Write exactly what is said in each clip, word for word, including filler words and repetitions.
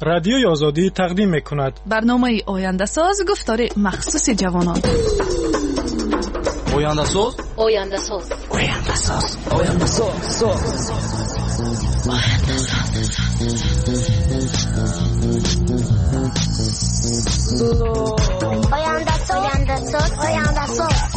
Радиои Озодӣ тақдим мекунад. Барномаи ояндасоз, гуфтори махсуси ҷавонон. Ояндасоз, ояндасоз, ояндасоз, ояндасоз, ояндасоз, ояндасоз, ояндасоз, ояндасоз.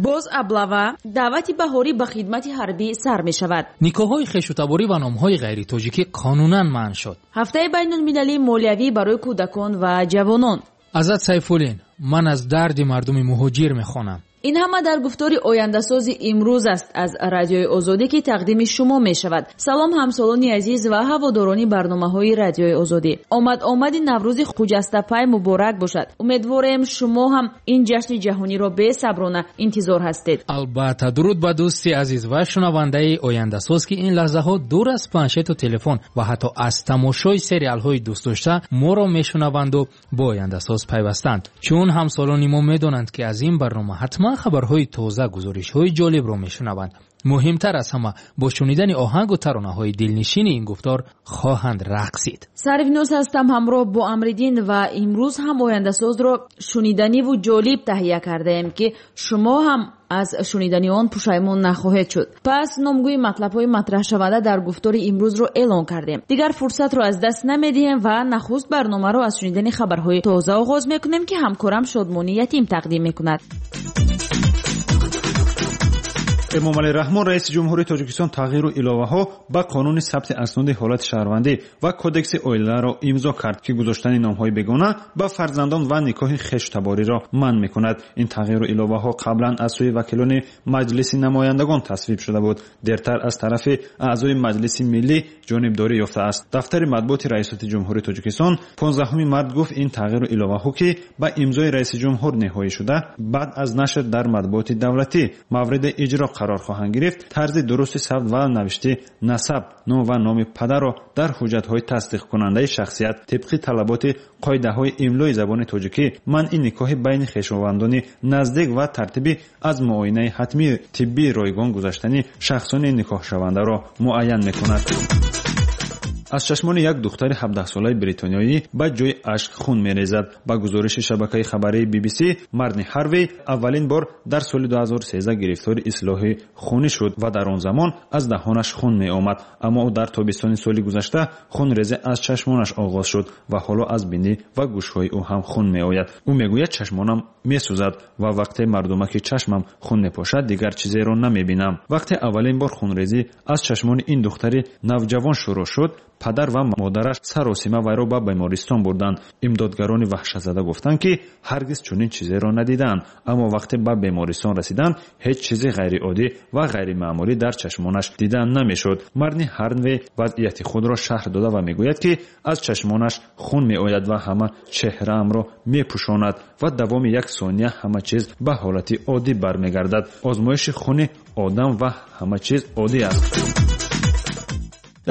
Боз аблава даъвати баҳорӣ ба хидмати ҳарбӣ сар мешавад. Никоҳҳои хешутаборӣ ва номҳои ғайритоҷикӣ қонунан манъ шуд. Ҳафтаи байнулмилалии молиявӣ барои кӯдакон ва ҷавонон. Азат Сайфуллин, ман аз дарди мардуми муҳоҷир мехонам. Ин ҳама дар гуфтори ояндасози имрӯз аст аз Радиои Озодӣ, ки тақдими шумо мешавад. Салом ҳамсолони азиз ва ҳаводорони барномаҳои Радиои Озодӣ. Омад омади Наврӯзи хуҷастапай муборак бошад. Умедворем шумо ҳам ин ҷашни ҷаҳониро бесаброна интизор ҳастед. Албатта, дуруд ба дӯсти азиз ва шунавандаи ояндасоз, ки ин лаҳзаҳо дур аз планшету телефон ва ҳатто аз тамошои сериалҳои дӯстдошта моро мешунаванду бо ояндасоз пайвастанд. Чун ҳамсолони мо медонанд, ки аз ин барнома ҳатман хабарҳои тоза, гузоришҳои ҷолибро мешунаванд. Муҳимтар аз ҳама, бо шунидани оҳангу таронаҳои дилнишини ин гуфтор хоҳанд рақсид. Сарвиноз ҳастам ҳамроҳ бо Амриддин ва имрӯз ҳам ояндасозро шуниданиву ҷолиб таҳия кардаем, ки шумо ҳам аз шунидани он пушаймон нахоҳед шуд. Пас номгӯи матлабҳои матраҳшаванда дар гуфтори имрӯзро эълон кардем. Дигар фурсатро аз даст намедиҳем ва нахуст барномаро аз шунидани хабарҳои тоза оғоз мекунем, ки ҳамкорам Шодмонӣ Ятим тақдим мекунад. Эмомалӣ Раҳмон, раиси ҷумҳурии Тоҷикистон, тағйиру иловаҳо ба қонуни сабти асноди ҳолати шаҳрвандӣ ва кодекси оиларо имзо кард, ки гузоштани номҳои бегона ба фарзандон ва никоҳи хештабориро манъ мекунад. Ин тағйиру иловаҳо қаблан аз сӯи вакилони Маҷлиси намояндагон тасвиб шуда буд. Дертар аз тарафи аъзои Маҷлиси миллӣ ҷонибдорӣ ёфтааст. Дафтари матбуоти Раисоти ҷумҳурии Тоҷикистон понздаҳуми март гуфт, ин тағйиру иловаҳо, ки ба имзои раиси ҷумҳур ниҳоӣ шуда, баъд аз нашр дар матбуоти давлатӣ мавриди иҷро қарор хоҳанд гирифт, тарзи дурусти сабт ва навишти насаб, ном ва номи падарро дар ҳуҷҷатҳои тасдиқкунандаи шахсият тибқи талаботи қоидаҳои имлои забони тоҷикӣ, манъи никоҳи байни хешовандони наздик ва тартиби аз муоинаи ҳатмии тиббии ройгон гузаштани шахсони никоҳшавандаро муайян мекунад. Аз чашмони як духтари ҳабдаҳсолаи бритониёӣ ба ҷои ашк хун мерезад. Ба гузориши шабакаи хабарии би би си, Марни Ҳарвей аввалин бор дар соли ду ҳазору сездаҳ гирифтори ислоҳи хунӣ шуд ва дар он замон аз даҳонаш хун меомад. Аммо ӯ дар тобистони соли гузашта хунрезӣ аз чашмонаш оғоз шуд ва ҳоло аз бинӣ ва гӯшҳои ӯ ҳам хун меояд. Ӯ мегӯяд, чашмонам месӯзад ва вақте мардумаки чашмам хун мепошад, дигар чизеро намебинам. Вақте аввалин бор хунрезӣ аз чашмони ин духтари навҷавон шурӯъ шуд, падар ва модараш саросима вайро ба бемористон бурданд. Имдодгарони ваҳшатзада гуфтанд, ки ҳаргиз чунин чизеро надиданд. Аммо вақте ба бемористон расиданд, ҳеҷ чизи ғайриоддӣ ва ғайримаъмулӣ дар чашмонаш дида намешуд. Марни Ҳарвей вазъияти худро шарҳ дода ва мегӯяд, ки аз чашмонаш хун меояд ва ҳама чеҳраамро мепӯшонад ва давоми як сония ҳама чиз ба ҳолати оддӣ бармегардад. Озмоиши хуни одам ва ҳама чиз оддӣ аст.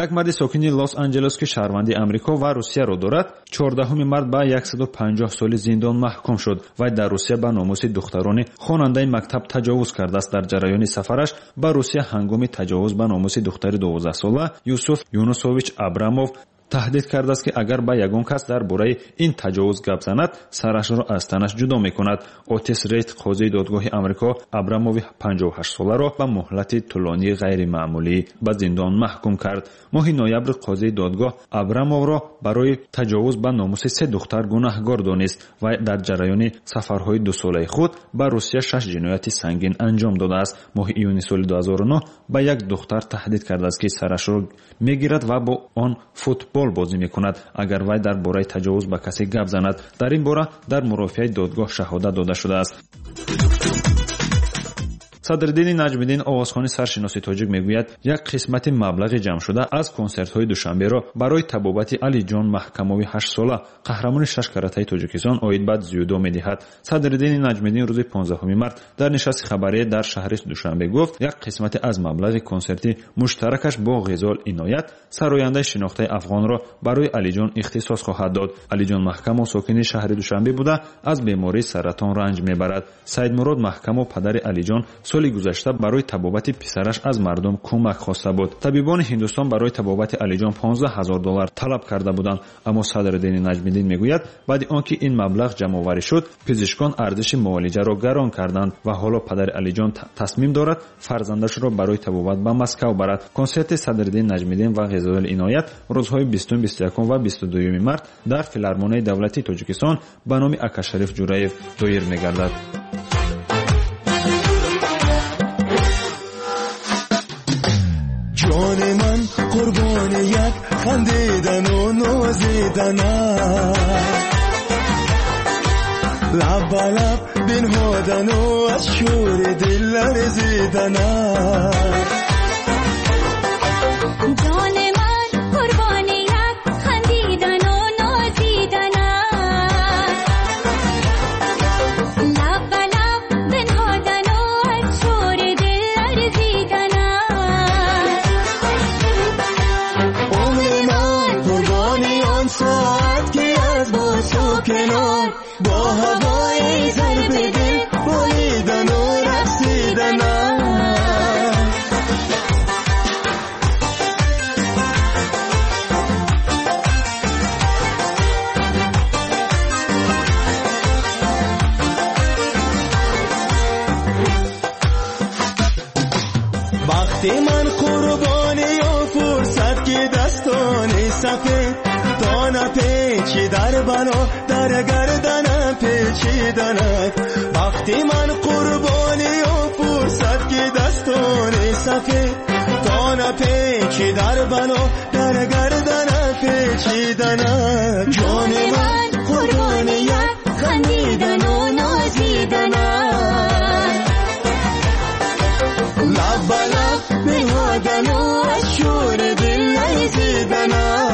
Як марди сокини Лос-Анҷелес, ки шаҳрванди Амрико ва Русияро дорад, чордаҳуми март ба яксаду панҷоҳ соли зиндон маҳкум шуд. Вай дар Русия ба номуси духтарони хонандаи мактаб таҷовуз кардааст. Дар ҷараёни сафараш ба Русия ҳангоми таҷовуз ба номуси духтари дувоздаҳсола Юсуф Юнусович Абрамов таҳдид кардааст, ки агар ба ягон кас дар бораи ин таҷовуз гап занад, сарашро аз танаш ҷудо мекунад. Отис Рейт, қозии додгоҳи Амрико, Абрамови панҷоҳу ҳаштсоларо ба муҳлати тӯлонии ғайримаъмулӣ ба зиндон маҳкум кард. Моҳи ноябр қозии додгоҳ Абрамовро барои таҷовуз ба номуси се духтар гунаҳгор донист ва дар ҷараёни сафарҳои дусолаи худ ба Русия шаш ҷинояти сангин анҷом додааст. Моҳи июни соли ду ҳазору нӯҳ ба як духтар таҳдид кардааст, ки сарашро мегирад ва бо он футбол футбол бозӣ мекунад, агар вай дар бораи таҷовуз ба касе гап занад. Дар ин бора дар мурофиаи додгоҳ шаҳодат дода шудааст. Садриддини Наҷмиддин, овозхони саршиноси тоҷик, мегӯяд як қисмати маблағи ҷамъшуда аз консертҳои Душанберо барои табобати Алиҷон Маҳкамови ҳаштсола, қаҳрамони шаш каратаи Тоҷикистон оид ба дзюдо медиҳад. Садриддини Наҷмиддин рӯзи понздаҳуми март дар нишасти хабарӣ дар шаҳри Душанбе гуфт як қисмати аз маблағи консерти муштаракаш бо Ғизол Иноят, сарояндаи шинохтаи афғонро барои Алиҷон ихтисос хоҳад дод. Алиҷон Маҳкамов сокини шаҳри Душанбе буда, аз бемории саратон ранҷ мебарад. Саидмурод Маҳкамов, падари Алиҷон, соли гузашта барои табобати писараш аз мардум кӯмак хоста буд. Табибони Ҳиндустон барои табобати Алиҷон понздаҳ ҳазор доллар талаб карда буданд, аммо Садриддини Наҷмиддин мегӯяд баъди он ки ин маблағ ҷамъоварӣ шуд, пизишкон арзиши муолиҷаро гарон карданд ва ҳоло падари Алиҷон тасмим дорад фарзандашро барои табобат ба Москав барад. Консерти Садриддин Наҷмиддин ва Ғизол Иноят рӯзҳои бистум, бисту якум ва бисту дуюми март дар Филармонияи давлатии Тоҷикистон ба номи Акашариф Ҷураев доир мегардад. ҷони ман қурбони як хандидану нозиданат, лаб ба лаб бинҳодану аз шӯри дил ларзиданат. ҷони ман қурбони як хандидану нозиданат, лаб ба лаб бинҳодану аз шӯри дил ларзиданат. Умри ман қурбони он соат ки аз босу канор бо ҳавои зарби дил болидану рақсиданат. Бахти ман қурбони он фурсат ки дастони сафед то напечи дар бало дар гарданам печиданат. Бахти ман қурбони он фурсат ки дастони сафед то напечи дар бало дар гарданам печиданат. Ҷони ман қурбони як хандидану нозиданат, лаб ба лаб бинҳодану аз шӯри дил ларзиданат.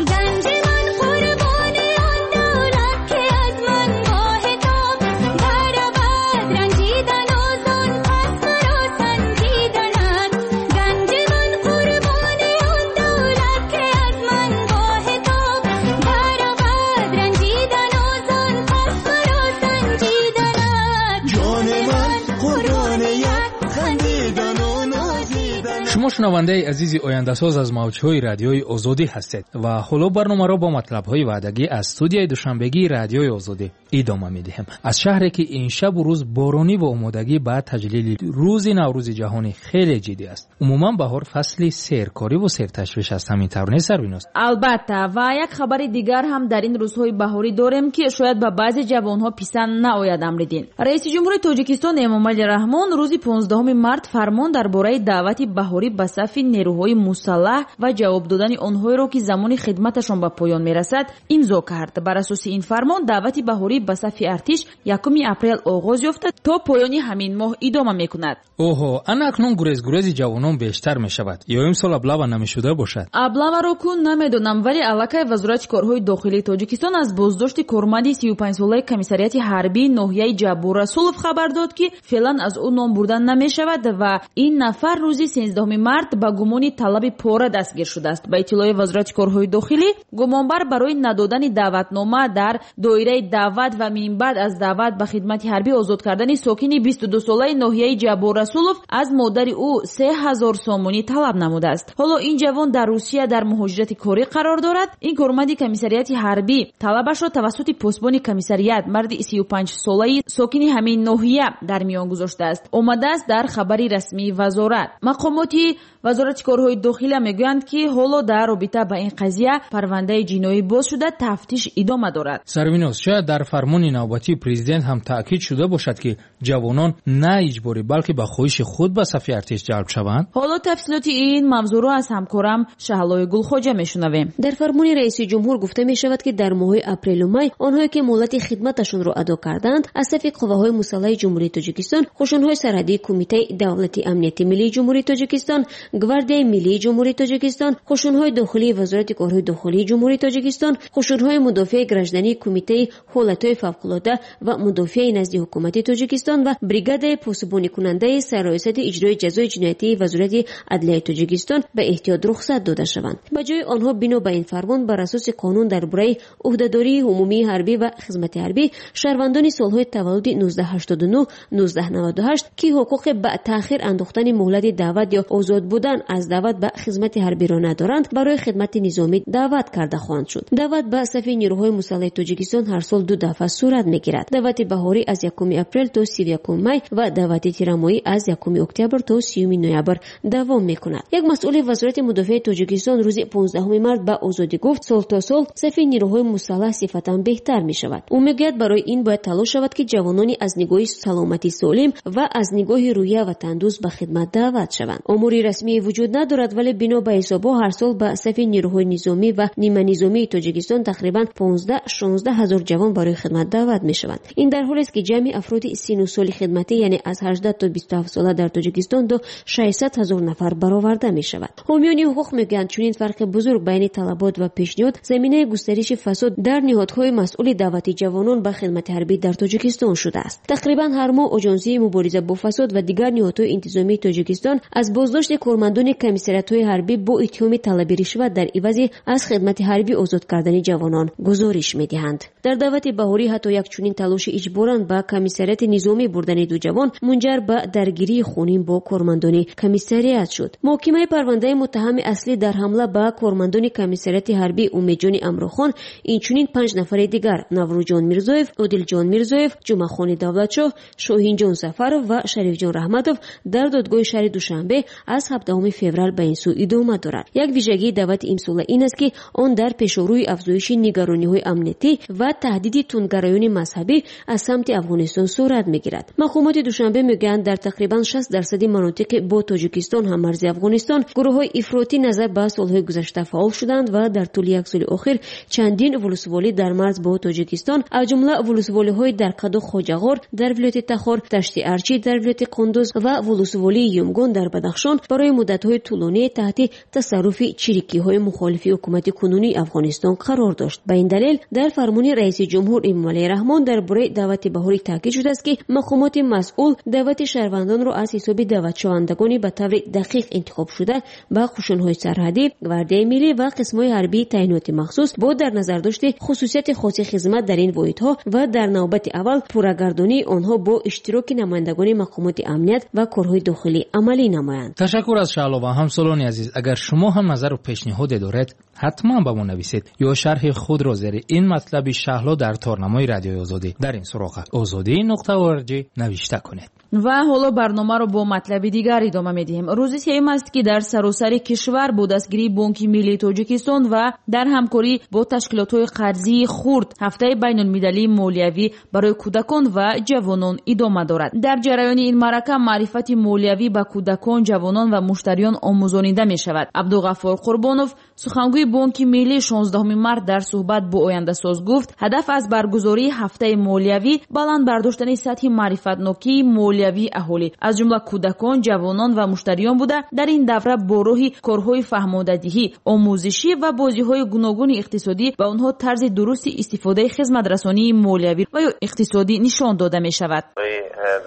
Ганҷи ман қурбони он давлат ки аз ман бо ҳисоб баравад ранҷидану зон пас маро санҷиданат. Ганҷи ман қурбони он давлат ки аз ман бо ҳисоб баравад ранҷидану зон пас маро санҷиданат. Ҷони ман қурбони як хандидану нозиданат. Шумо шунавандаи азизи Ояндасоз аз мавҷҳои Радиои Озодӣ ҳастед ва ҳоло барномаро бо матлабҳои ваъдагӣ аз студияи душанбегии Радиои Озодӣ идома медиҳем. Аз шаҳре ки ин шабу рӯз боронӣ ва омодагӣ ба таҷлили рӯзи Наврӯзи ҷаҳонӣ хеле ҷиддӣ аст. Умуман баҳор фасли серкорӣ ву серташвиш аст. Ҳамин тавр нест, Сарвиноз? Албатта, ва як хабари дигар ҳам дар ин рӯзҳои баҳорӣ дорем ки шояд ба баъзе ҷавонҳо писанд наояд. Амриддин, раиси ҷумҳури Тоҷикистон Эмомалӣ Раҳмон рӯзи понздаҳуми март фармон дар бораи даъвати баҳорӣ ба сафи нерӯҳои мусаллаҳ ва ҷавоб додани онҳоеро ки замони хидматашон ба поён мерасад имзо кард. Бар асоси ин фармон даъвати баҳорӣ ба сафи артиш якуми апрел оғоз ёфта то поёни ҳамин моҳ идома мекунад. Оҳо, ана акнун гурезгурези ҷавонон бештар мешавад. Ё имсол аблава намешуда бошад? Аблаваро кун намедонам, вале аллакай Вазорати корҳои дохилии Тоҷикистон аз боздошти корманди сию панҷсолаи комиссариати ҳарбии ноҳияи Ҷаббор Расулов хабар дод, ки феълан аз ӯ ном бурдан намешавад ва ин нафар рӯзи сенздаҳуми март ба гумони талаби пора дастгир шудааст. Ба иттилои Вазорати корҳои дохилӣ, гумонбар барои надодани даъватнома дар доираи даъват ва минбаъд аз даъват ба хидмати ҳарбӣ озод кардани сокини бисту дусолаи ноҳияи Ҷаббор Расулов аз модари ӯ се ҳазор сомонӣ талаб намудааст. Ҳоло ин ҷавон дар Русия дар муҳоҷирати корӣ қарор дорад. Ин корманди комиссариати ҳарбӣ талабашро тавассути посбони комиссариат, марди сию панҷсолаи сокини ҳамин ноҳия, дар миён гузоштааст. Омадааст дар хабари расмии вазорат. Мақомоти Мақомоти Вазорати корҳои дохила мегӯянд, ки ҳоло дар робита ба ин қазия парвандаи ҷиноӣ боз шуда, тафтиш идома дорад. Сарвиноз, шояд дар фармони навбатии президент ҳам таъкид шуда бошад, ки ҷавонон на иҷборӣ, балки ба хоҳиши худ ба сафи артиш ҷалб шаванд. Ҳоло тафсилоти ин мавзӯъро аз ҳамкорам Шаҳлои Гулхоҷа мешунавем. Дар фармони раиси ҷумҳур гуфта мешавад, ки дар моҳҳои апрелу май онҳое ки муҳлати хидматашонро адо карданд, аз сафи қувваҳои мусаллаҳи Ҷумҳурии Тоҷикистон, қӯшунҳои сарҳадии Кумитаи давлати амнияти миллии Ҷумҳурии Тоҷикистон, Гвардияи миллии Ҷумҳурии Тоҷикистон, қӯшунҳои дохилии Вазорати корҳои дохилии Ҷумҳурии Тоҷикистон, қӯшунҳои мудофиаи граждании Кумитаи ҳолатҳои фавқулода ва мудофиаи назди ҳукумати Тоҷикистон ва бригадаи посубоникунандаи сарраёсати иҷрои ҷазои ҷиноятии Вазорати адлияи Тоҷикистон ба эҳтиёт рухсат дода шаванд. Ба ҷои онҳо бино ба ин фармон бар асоси қонун дар бораи ӯҳдадории умумии ҳарбӣ ва хизмати ҳарбӣ шаҳрвандони солҳои таваллуди нуздаҳ ҳаштоду нӯҳ, нуздаҳ наваду ҳашт, ки ҳуқуқи ба таъхир андохтани муҳлати даъват ё озод будан аз даъват ба хизмати ҳарбиро надоранд, барои хидмати низомӣ даъват карда хоҳанд шуд. Даъват ба сафи нирӯҳои мусаллаҳи Тоҷикистон ҳар сол ду дафъа сурат мегирад. Даъвати баҳорӣ аз якуми апрел то сию якуми май ва даъвати тирамоҳӣ аз якуми октябр то сиюми ноябр давом мекунад. Як масъули Вазорати мудофиаи Тоҷикистон рӯзи понздаҳуми март ба Озодӣ гуфт, сол то сол сафи нирӯҳои мусаллаҳ сифатан беҳтар мешавад. Ӯ мегӯяд, барои ин бояд талош шавад, ки ҷавонони аз нигоҳи саломатӣ солим ва аз нигоҳи рӯҳия ватандӯст ба хидмат даъват шаванд. Омори расмӣ вуҷуд надорад, вале бино ба ҳисобҳо ҳар сол ба сафи нирӯҳои низомӣ ва ниманизомии Тоҷикистон тақрибан понздаҳ шонздаҳ ҳазор ҷавон барои хидмат даъват мешаванд. Ин дар ҳолест, ки ҷамъи афроди сину соли хидматӣ, яъне аз ҳаждаҳ то бисту ҳафт сола дар Тоҷикистон до шашсад ҳазор нафар бароварда мешавад. Ҳомиёни ҳуқуқ мегӯянд, чунин фарқи бузург байни талабот ва пешниҳод заминаи густариши фасод дар ниҳодҳои масъули даъвати ҷавонон ба хидмати ҳарбӣ дар Тоҷикистон шудааст. Тақрибан ҳар моҳ Оҷонсии мубориза бо фасод ва дигар ниҳодҳои интизомии Тоҷикистон аз боздошти кормандони комиссариатҳои ҳарбӣ бо иттиҳоми талаби ришват дар ивази аз хидмати ҳарбӣ озод кардани ҷавонон гузориш медиҳанд. Дар даъвати баҳорӣ ҳатто як чунин талоши иҷборан ба комиссариати низомӣ бурдани ду ҷавон мунҷар ба даргирии хунин бо кормандони комиссариат шуд. Муҳокимаи парвандаи муттаҳами аслӣ дар ҳамла ба кормандони комиссариати ҳарбӣ Умедҷони Амрохон, инчунин панҷ нафари дигар Наврӯзҷон Мирзоев, Одилҷон Мирзоев, Ҷумъахони Давлатшоҳ, Шоҳинҷон Сафаров ва Шарифҷон Раҳматов дар додгоҳи шаҳри Душанбе аз ҳабдаҳуми феврал ба ин сӯ идома дорад. Як вижагии даъвати имсола ин аст, ки он дар пешорӯи афзоиши нигарониҳои амниятӣ ва таҳдиди тундгароёни мазҳабӣ аз самти Афғонистон сурат мегирад. Мақомоти Душанбе мегӯянд, дар тақрибан шаст дарсади манотиқи бо Тоҷикистон ҳаммарзи Афғонистон гурӯҳҳои ифротӣ назар ба солҳои гузашта фаъол шуданд ва дар тӯли як соли охир чандин вулусволӣ дар марз бо Тоҷикистон, аз ҷумла вулусволиҳои дар Қаду Хоҷағор дар вилояти Тахор, Дашти Арчӣ дар вилояти Қундуз ва вулусволии Юмгон дар Бадахшон барои муддатҳои тӯлонӣ таҳти тасарруфи чирикиҳои мухолифи ҳукумати кунунии Афғонистон қарор дошт. Ба ин далел дар фармони раиси ҷумҳур Эмомалӣ Раҳмон дар бораи даъвати баҳорӣ таъкид шудааст, ки мақомоти масъул даъвати шаҳрвандонро аз ҳисоби даъватшавандагони ба таври дақиқ интихобшуда ба қӯшунҳои сарҳадӣ, Гвардияи миллӣ ва қисмҳои ҳарбии таъиноти махсус бо дар назардошти хусусияти хоси хизмат дар ин воҳидҳо ва дар навбати аввал пуррагардонии онҳо бо иштироки намояндагони мақомоти амният ва корҳои дохилӣ амалӣ намоянд. Ташаккур аз Шаҳло ва ҳамсолони азиз. Агар шумо ҳам назару пешниҳоде доред, ҳатман ба мо нависед ё шарҳи худро зери ин матлаби Шаҳло дар торнамои Радиои Озодӣ дар ин суроға озодӣ нуқта орг навишта кунед. Ва ҳоло барномаро бо матлаби дигар идома медиҳем. Рӯзи сеюм аст, ки дар саросари кишвар бо дастгирии Бонки Миллии Тоҷикистон ва дар ҳамкорӣ бо ташкилотҳои қарзии хурд ҳафтаи байнулмилалии молиявӣ барои кӯдакон ва ҷавонон идома дорад. Дар ҷараёни ин маърака маърифати молиявӣ ба кӯдакон, ҷавонон ва муштариён омӯзонида мешавад. Абдуғаффор Қурбонов, сухангӯи Бонки Миллӣ, шонздаҳуми март дар суҳбат бо Ояндасоз гуфт, ҳадаф аз баргузории ҳафтаи молиявӣ баланд бардоштани сатҳи маърифатнокии молиявии аҳолӣ, аз ҷумла кӯдакон, ҷавонон ва муштариён буда, дар ин давра бо роҳи корҳои фаҳмодадиҳӣ, омӯзишӣ ва бозиҳои гуногуни иқтисодӣ ба онҳо тарзи дурусти истифодаи хизматрасонии молиявӣ ва ё иқтисодӣ нишон дода мешавад.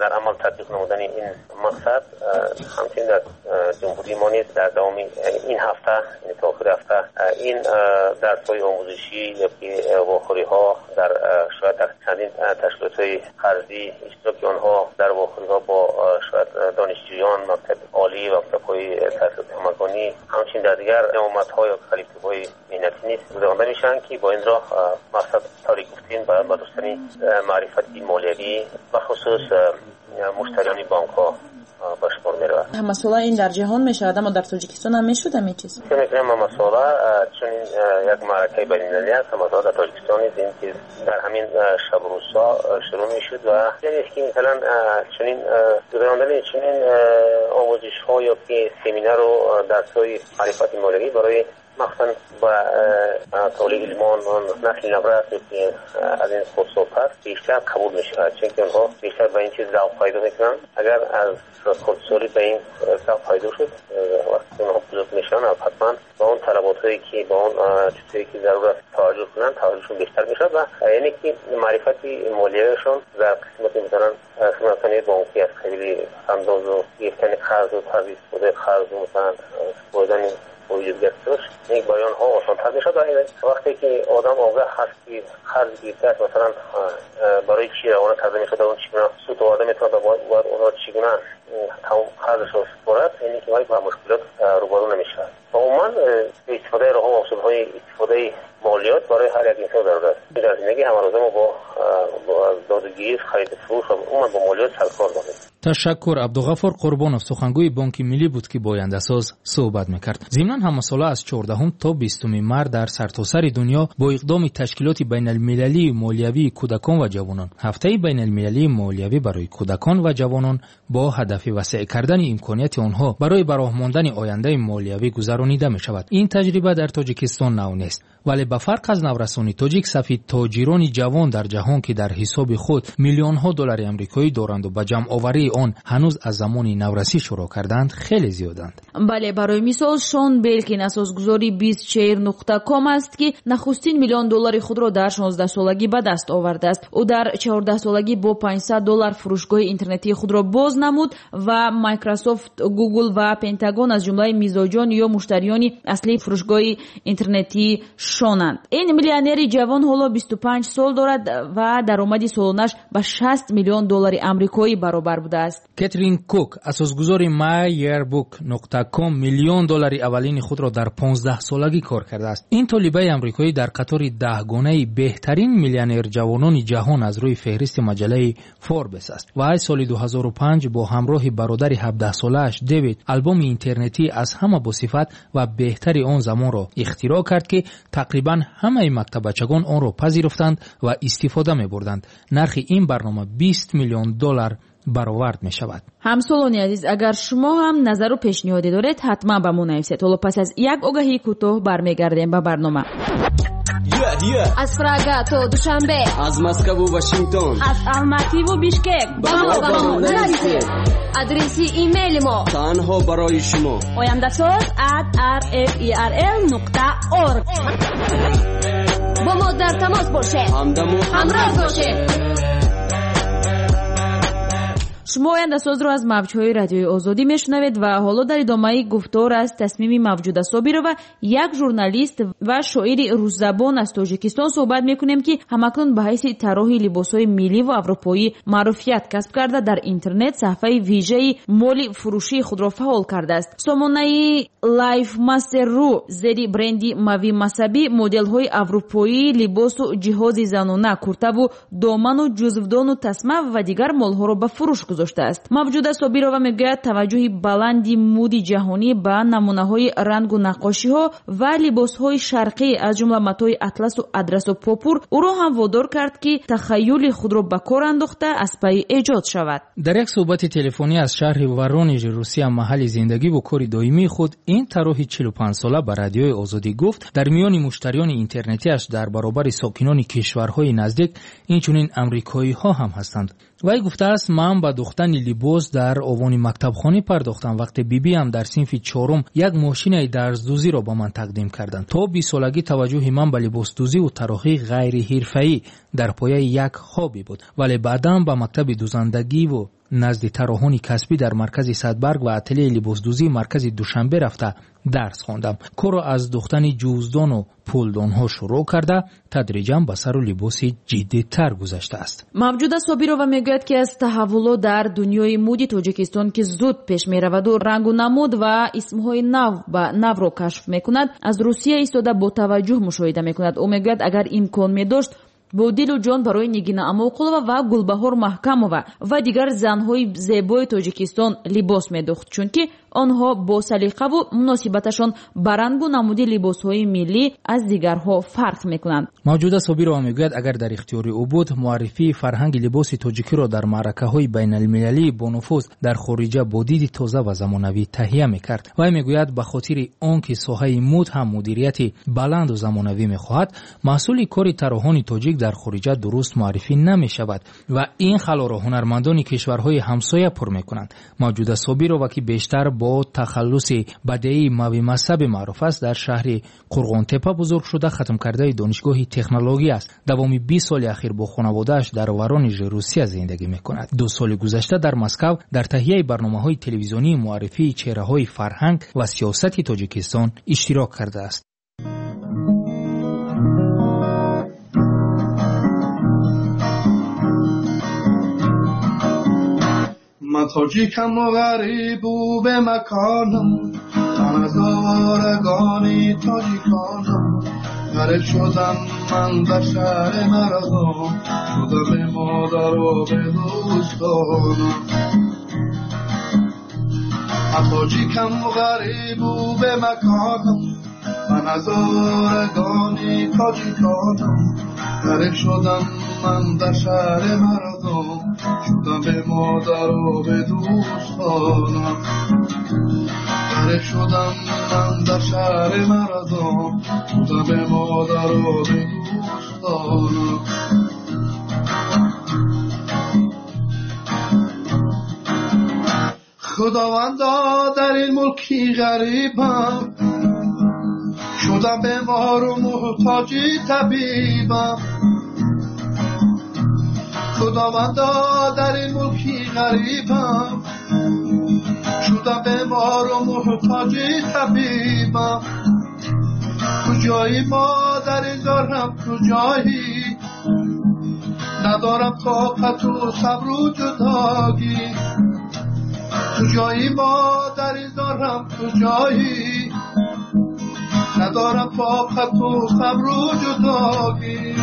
Дар амал татбиқ намудани ин мақсад ҳамчунин дар ҷумҳурии мо низ дар давоми ин ҳафта, яъне то охири ҳафта, ин дарсҳои омӯзишӣ ё ки вохӯриҳо дар шояд дар чандин ташкилотҳои қарзӣ, иштироки онҳо дар вохӯриҳо бо шояд донишҷӯён, мактаби олӣ ва мактабҳои таҳсилоти ҳамагонӣ, ҳамчунин дар дигар ҷамоатҳо ё коллективҳои меҳнатӣ низ гузаронда мешаванд, ки бо ин роҳ мақсад тавре гуфтем ба бардоштани маърифати молиявӣ бахусус муштариёни бонкҳо ба шумор меравад. Ҳамасола ин дар ҷаҳон мешавад, аммо дар Тоҷикистон ҳам мешуд ҳамин чиз? Фикр мекунам ҳамасола, чун ин як маъракаи байналмилалӣ аст, ҳамасола дар Тоҷикистон низ ин чиз дар ҳамин шабу рӯзҳо шурӯъ мешуд ва яъне ки масалан чунин гузарондани чунин омӯзишҳо ё ки семинару дарсҳои маърифати молиявӣ барои махсусан ба толибилмон, насли наврас ки аз ин хурдсолтар бештар қабул мешавад, чунки онҳо бештар ба ин чиз завқ пайдо мекунанд. Агар аз хурдсолӣ ба ин завқ пайдо шуд, вақте онҳо бузург мешаванд, ҳатман ба он талаботҳое ки ба он чизҳое ки зарур аст таваҷҷӯҳ кунанд, таваҷҷӯҳшон бештар мешавад ва яъне ки маърифати молиявиашон дар қисмати масалан хизматрасонии бонкӣ аз қабили андозу гирифтани қарзу тарзи истифодаи қарзу масалан супоридани вуҷуд гирифташ барои онҳо осонтар мешавад. Вақте ки одам огаҳ ҳаст ки қарз гирифтааст, масалан барои чӣ равона карда мешавад, он чӣ гуна суд оварда метавонад ва бояд онро чӣ гуна тамом қарзашро супорад, яъне ки вай ба мушкилот рӯбарӯ намешавад. Ва умуман истифодаи роҳҳо ва усулҳои истифодаи молиёт барои ҳар як инсон зарур аст. Дар зиндагӣ ҳамарӯза мо бо додугирифт, хариду фурӯш ва умуман бо молиёт саркор дорем. Ташаккур. Абдуғаффор Қурбонов сухангӯи Бонки Миллӣ буд, ки бо ояндасоз суҳбат мекард. Зимнан ҳамасола аз чордаҳум то бистуми март дар сартосари дунё бо иқдоми ташкилоти байналмилалии молиявии кӯдакон ва ҷавонон ҳафтаи байналмилалии молиявӣ барои кӯдакон ва ҷавонон бо ҳадафи васеъ кардани имконияти онҳо барои ба роҳ мондани ояндаи молиявӣ гузаронида мешавад. Ин таҷриба дар Тоҷикистон нав нест, вале ба фарқ аз наврасони тоҷик, сафи тоҷирони ҷавон дар ҷаҳон, ки дар ҳисоби худ миллионҳо доллари амрикоӣ доранду ба ҷамъоварии он ҳанӯз аз замони наврасӣ шурӯъ карданд, хеле зиёданд. Бале, барои мисол Шон Белкин, асосгузори бистчейр нуқта ком аст, ки нахустин миллион доллари худро дар шонздаҳсолагӣ ба даст овардааст. Ӯ дар чордаҳсолагӣ бо панҷсад доллар фурӯшгоҳи интернетии худро боз намуд ва Microsoft, Google ва Пентагон аз ҷумлаи мизоҷон ё муштариёни аслии фурӯшгоҳи интернетии Шонанд. Ин миллионери ҷавон ҳоло бисту панҷ сол дорад ва даромади солонаш ба шаст миллион доллари амрикоӣ баробар будааст. Кэтрин Кук, асосгузори my yearbook нуқта ком, миллион доллари аввалини худро дар понздаҳсолагӣ кор кардааст. Ин толибаи амрикоӣ дар қатори даҳгонаи беҳтарин миллионер ҷавонони ҷаҳон аз рӯи феҳристи маҷаллаи Forbes аст ва аз соли ду ҳазору панҷ бо ҳамроҳи бародари ҳабдаҳсолааш Дэвид албоми интернетӣ аз ҳама босифат ва беҳтари он замонро ихтироъ кард, ки тақрибан ҳамаи мактаббачагон онро пазируфтанд ва истифода мебурданд. Нархи ин барнома бист миллион доллар баровард мешавад. Ҳамсолони азиз, агар шумо ҳам назару пешниҳоде доред, ҳатман ба мо нависед. Ҳоло пас аз як огаҳии кӯтоҳ бармегардем ба барнома. Аз Прага то Душанбе, аз Москву Вашингтон, аз Алмативу Бишкек ба мо ба мо нависед. Адреси имейли мо танҳо барои шумо ояндасоз at r f e r l нуқта org. Бо мо дар тамос бошед, ҳамдаму ҳамроз бошед. Шумо ояндасозро аз мавҷҳои радиои Озодӣ мешунавед ва ҳоло дар идомаи гуфтор аз тасмими Мавҷуда Собирова, як журналист ва шоири русзабон аз Тоҷикистон суҳбат мекунем, ки ҳамакнун ба ҳайси тарроҳи либосҳои миллӣ ва аврупоӣ маъруфият касб карда, дар интернет саҳифаи вижаи моли фурӯшии худро фаъол кардааст. Сомонаи LifeMaster.ru зери бренди Мави Масаби моделҳои аврупоӣ, либосу ҷиҳози занона, куртаву доману ҷузвдону тасма ва дигар молҳоро ба фурӯш гузоштааст. Мавҷуда Собирова мегӯяд, таваҷҷӯҳи баланди муди ҷаҳонӣ ба намунаҳои рангу наққошиҳо ва либосҳои шарқӣ, аз ҷумла матои атласу адрасу попур, ӯро ҳам водор кард, ки тахаюли худро ба кор андохта аз пайи эҷод шавад. Дар як суҳбати телефонӣ аз шаҳри Воронежи Русия, маҳалли зиндагиву кори доимии худ, ин тарроҳи чилу панҷсола ба радиои Озодӣ гуфт, дар миёни муштариёни интернетиаш дар баробари сокинони кишварҳои наздик инчунин амрикоиҳо ҳам ҳастанд. Вай гуфтааст, ман ба духтани либос дар овони мактабхонӣ пардохтам, вақте бибиам дар синфи чорум як мошинаи дарздӯзиро ба ман тақдим карданд. То бистсолагӣ таваҷҷӯҳи ман ба либосдӯзиву тарроҳӣ ғайриҳирфаӣ дар пояи як хобӣ буд, вале баъдан ба мактаби дӯзандагиву назди тарроҳони касбӣ дар маркази Садбарг ва ателияи либосдӯзии маркази Душанбе рафта дарс хондам. Корро аз духтани ҷуздону пулдонҳо шурӯъ карда, тадриҷан ба сару либоси ҷиддитар гузаштааст. Мавҷуда Собирова мегӯяд, ки аз таҳаввулот дар дунёи муди Тоҷикистон, ки зуд пеш мераваду рангу намуд ва исмҳои нав ба навро кашф мекунад, аз Русия истода бо таваҷҷӯҳ мушоҳида мекунад. Ӯ мегӯяд, агар имкон медошт, Бо дилу ҷон барои Нигина Амоқулова ва Гулбаҳор Маҳкамова ва дигар занҳои зебои Тоҷикистон либос медӯхт, чунки онҳо бо салиқаву муносибаташон ба рангу намуди либосҳои миллӣ аз дигарҳо фарқ мекунанд. Мавҷуда Собирова мегӯяд, агар дар ихтиёри ӯ буд, муаррифии фарҳанги либоси тоҷикиро дар маъракаҳои байналмилалии бонуфуз дар хориҷа бо диди тоза ва замонавӣ таҳия мекард. Вай мегӯяд, ба хотири он ки соҳаи муд ҳам мудирияти баланду замонавӣ мехоҳад, маҳсули кори тарроҳони тоҷик дар хориҷа дуруст муаррифӣ намешавад ва ин халоро ҳунармандони кишварҳои ҳамсоя пур мекунанд. Мавҷуда Собирова, ки бештар бо тахаллуси бадеии мавимасаби маъруф аст, дар шаҳри Қурғонтепа бузург шуда, хатмкардаи донишгоҳи технология аст. Давоми бист соли ахир бо хонаводааш дар Воронежи Русия зиндагӣ мекунад. Ду соли гузашта дар Москав дар таҳияи барномаҳои телевизионии муаррифии чеҳраҳои фарҳанг ва сиёсати Тоҷикистон иштирок кардааст. من تاجیکم و غریب و به مکانم، من از آوارگانی تاجیکانم، غریب شدم من در شهر مردم، شدم به مادر و به دوستانم. من تاجیکم و غریب و به مکانم، من از آوارگانی تاجیکانم، غریب شدم من در شهر مردم، شدم به مادر و به دوستانم. غریب شدم من در شهر مردم، شدم به مادر و به دوستانم. خداوندا در این ملکی غریبم، شدم به مار و محتاجی طبیبم. خداوندا در این ملکی غریبم، شدم به مار و محتاجی طبیبم. کجایی مادر دارم کجایی، ندارم طاقت و صبر و جدایی. کجایی مادر دارم کجایی، ندارم طاقت و صبر و جدایی.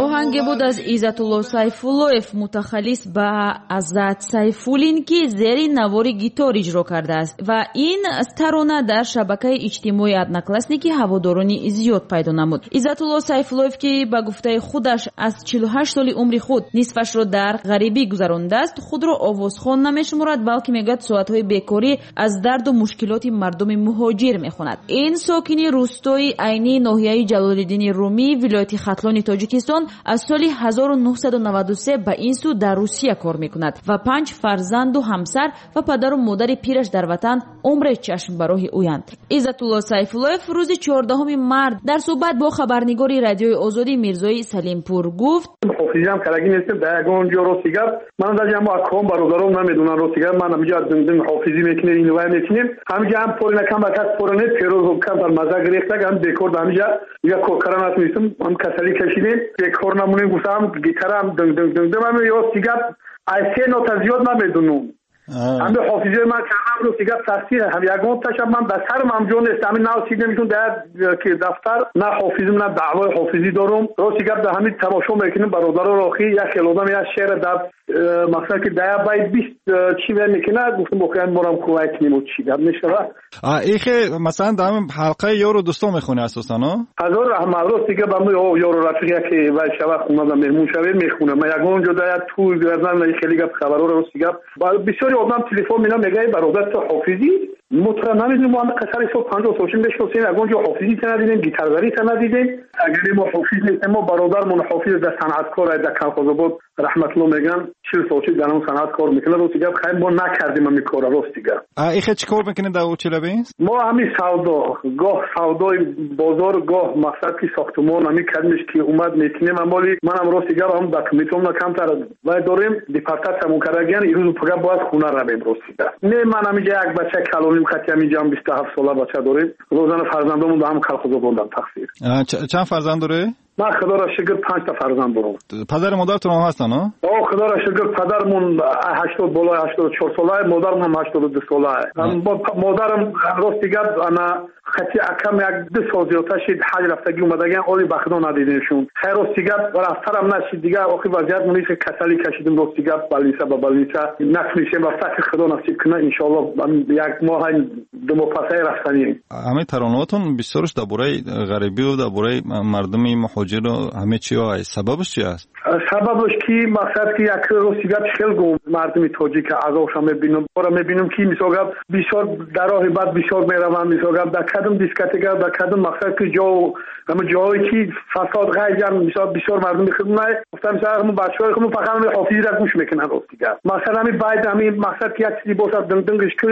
Оҳанге буд аз Иззатулло Сайфуллоев, мутахаллис ба Азат Сайфуллин, ки зери навори гитор иҷро кардааст ва ин тарона дар шабакаи иҷтимоии Одноклассники ҳаводорони зиёд пайдо намуд. Иззатулло Сайфуллоев, ки ба гуфтаи худаш аз чилу ҳашт соли умри худ нисфашро дар ғарибӣ гузарондааст, худро овозхон намешуморад, балки мегӯяд соатҳои бекорӣ аз дарду мушкилоти мардуми муҳоҷир мехонад. Ин сокини рӯстои айнии ноҳияи Ҷалолиддини Румӣ, вилояти Хатлони Тоҷикистон, аз соли ҳазору нӯҳсаду наваду се ба ин сӯ дар Русия кор мекунад ва панҷ фарзанду ҳамсар ва падару модари пираш дар ватан умре чашм ба роҳи ӯянд. Иззатулло Сайфуллоев рӯзи чордаҳуми март дар суҳбат бо хабарнигори Радиои Озодӣ Мирзои Салимпур гуфт: ҳофизиам карагӣ нестем, дар ягон ҷо рости гап ман даже ҳамо аком бародаром намедонам. Рости гап ман ҳамиҷо дум ҳофизӣ мекунем, инвай мекунем, ҳамиҷо ҳам пори накам ба кас пора не фероз камтар маза гирифтаг, ҳам бекор да ҳамиҷа дигар кор кардан натунистем, ҳам касалӣ кашидем, бекор намонем, гуфтам гитарам дунг дунг дунг дунг. Ҳами рости гап аз се нота зиёд намедонам. Ҳами ҳофизиҳои ман кардам рости гап тасдиқ, ҳам ягон таша ман ба сарам ҳам ҷо нест. Ҳами нав сидемшон дар ки дафтар на ҳофизим, на даъвои ҳофизӣ дорум. Рости гап дар ҳами тамошо мекунем бародароро, охи як хел одам як шеъра дар мақсад ки дар як байт бист чӣ мекунад, гуфтам охи морам кӯмак кунем, чӣ гап мешавад. Ихе масалан дар ҳамин ҳалқаи ёру дӯстон мехонӣ асосан? Ҳазор раҳмат. Рости гап ҳами ёру рафиқ яке вай шава хонада меҳмон шавем мехонам. Ман ягон ҷо дар як тӯй гардам хеле гап хабарҳоро рости гап бисёри одам телефон мена мегӯяд бародар ту ҳофизӣ, мо тура намедонем, мо ҳама қасари сол панҷоҳ сол шуд мешиносем, ягон ҷо ҳофизӣ та надидем, гитарзарӣ та надидем. Агар мо ҳофиз нестем, мо бародармон ҳофиз дар санъаткор дар Колхозобод раҳматулло мегӯянд, чил сол шуд дар он санъат кор мекунад. Рости гап хайр мо накардем ҳамин корро рости гап. Ихе чӣ кор мекунед дар Челябинск? Мо ҳамин савдо, гоҳ савдои бозор, гоҳ мақсад ки сохтумон ҳамин кадмиш ки омад мекунем. Амоли манам рости гап ҳам документомна камтар вай дорем, депортатсиямон кардагиян, ирӯзу пага бояд хона равем рости гап. Не ман ҳаминҷа як бача калоним хати ҳаминҷа ҳам бисту ҳафт сола бача дорем, розана фарзандомон ба ҳам Колхозободам тақсир. Чанд фарзанд дорӣ? Ман худоро шукр панҷ та фарзанд дорам. Падару модаратон ҳам ҳастанд, о? Худоро шукр, падармон ҳаштод болои ҳаштоду чор сола, модарам ҳам ҳаштоду ду сола. Модарам рости гап ана хати акам як ду сол зиёдтар шид ҳаҷ рафтагӣ омадагиан, оли ба худо надидемшон. Хайр, рости гап рафтарам нашид, дигар охир вазъият монис касалӣ кашидим, рости гап больница ба больница накунишем рафта, ки худо насиб кунад, иншоаллоҳ як моҳ ду моҳ пасай рафтанем. Ҳамаи таронаҳотон бисёрш дар бораи ғарибию дар бораи мардуми муҳоҷиру ҳама чиҳо аст. Сабабаш чи аст? Сабабаш ки мақсад ки як рости гап хел гум мардуми тоҷика азобша мебинам, бора мебинам ки мисол гап бисёр дар роҳи бад бисёр мераванд, мисол гап дар кадом дискотека, дар кадом мақсад ки ҷо ҳама ҷоҳое ки фасод ғайҷан, мисол бисёр мардуми худмай гуфтам, мисол ҳамун бачаҳои худмон фақат ҳамин ҳофизиро гӯш мекунанд. Рости гап мақсад ҳамин байд ҳамин мақсад ки як чизе бошад динг-дингш ки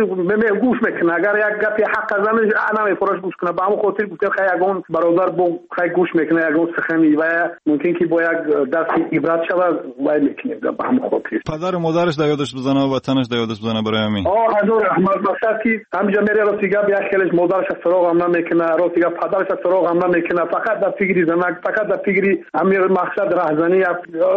гӯш мекунад, агар як гапи ҳақ азанаш намефураш гӯш кунад. Ба ҳамон хотир гуфтем хай ягон бародар бо хай гӯш мекунад ягон сухани ва мумкин ки бо як дарси ибрат шавад, вай мекунем ба ҳамон хотир. Падару модараш дар ёдаш бизана ва ватанаш дар ёдаш бизана барои ҳамин. О, ҳазор раҳмат. Мақсад ки ҳаминҷо мере рости гап як хелеш модараша суроғ ҳам намекунад, рости гап падараша суроғ ҳам намекунад, фақат дар фикри занак, фақат дар фикри ҳамин мақсад раҳзанӣ,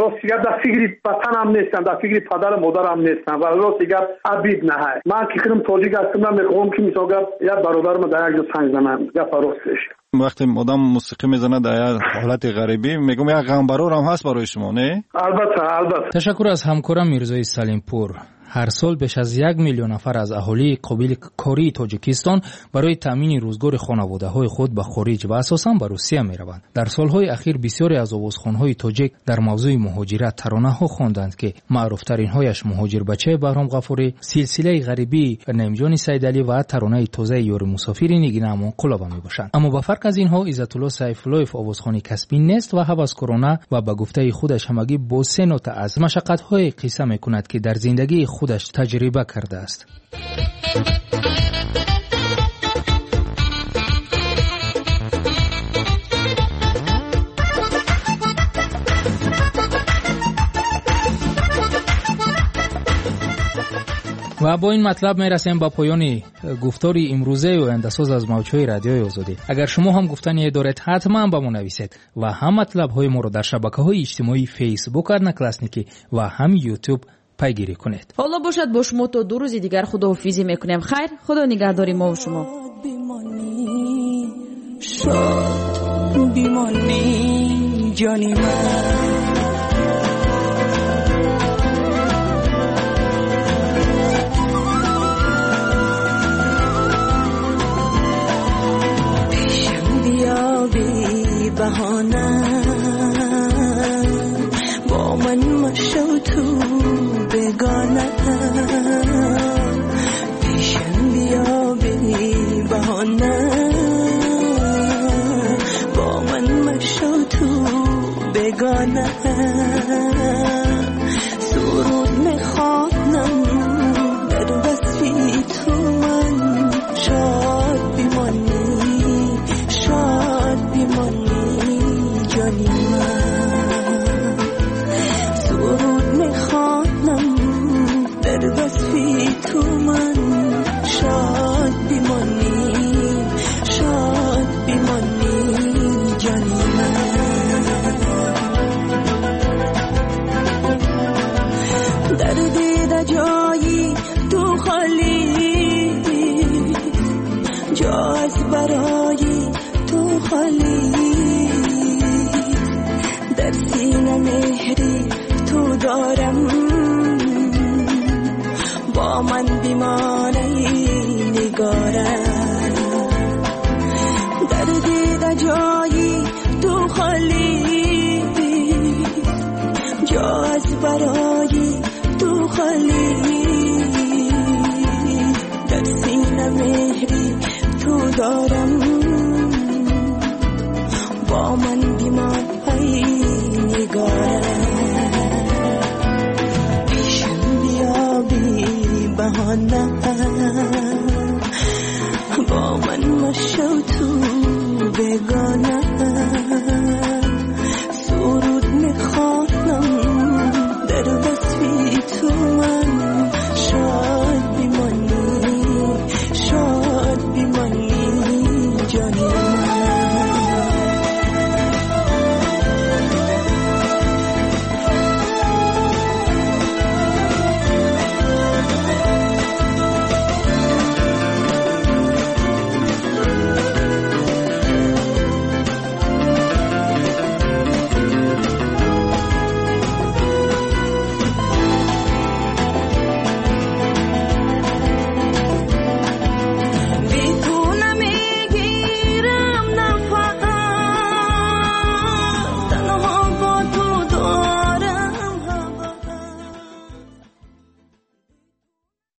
рости гап дар фикри ватан ҳам нестанд, дар фикри падару модар ҳам нестанд ва рости гап абид наҳай. Ман ки худам тоҷик ҳастам, намехоҳам ки мисол гап як бародарам дар як ҷо санг занам, гапа ростеш. Вақте одам мусиқӣ мезанад дар як ҳолати ғарибӣ, мегӯям як ғамбарор ҳам ҳаст барои шумо, не? Албатта, албатта. Ташаккур аз ҳамкорам Мирзои Салимпур. Ҳар сол беш аз як миллион нафар аз аҳолии қобили кории Тоҷикистон барои таъмини рӯзгори хонаводаҳои худ ба хориҷ ва асосан ба Русия мераванд. Дар солҳои ахир бисёре аз овозхонҳои тоҷик дар мавзӯи муҳоҷират таронаҳо хонданд, ки маъруфтаринҳояш Муҳоҷирбачаи Баҳром Ғафурӣ, Силсилаи ғарибии Наимҷони Сайдалӣ ва таронаи тозаи Ёри мусофири Нигина Амонқулова мебошанд. Аммо ба фарқ аз инҳо Иззатулло Сайфуллоев овозхони касбӣ нест ва ҳаваскорона ва ба гуфтаи худаш ҳамагӣ бо се нота аз машаққатҳое қисса мекунад, ки дар зиндагии худаш таҷриба кардааст. Ва бо ин матлаб мерасем ба поёни гуфтори имрӯзаи Ояндасоз аз мавҷҳои Радиои Озодӣ. Агар шумо ҳам гуфтание доред, ҳатман ба мо нависед ва ҳам матлабҳои моро дар шабакаҳои иҷтимоии Фейсбук, Одноклассники ва ҳам Ютуб пайгирӣ кунед. Ҳоло бошад бо шумо то ду рӯзи дигар худоҳофизӣ мекунем. Хайр, худо нигаҳдори мо ва шумо. Шод бимонӣ ҷони ман. Пешам биё бебаҳона, бо ман машав ту бегона. Пешам биё бебаҳона, бо ман машав ту бегона. Суруд мехонам дар васфи ту ман, шод бимонӣ, шод бимонӣ ҷони ман. Суруд мехонам дар васфи ту ман, шод бимонӣ, шод бимонӣ ҷони ман. Дар дида ҷои ту холӣ, ҷо аз барои ту холӣ. Дар сина меҳри ту дорам, бо ман бимон эй нигорам. Дар дида ҷои ту холӣ, ҷо аз барои ту холӣ.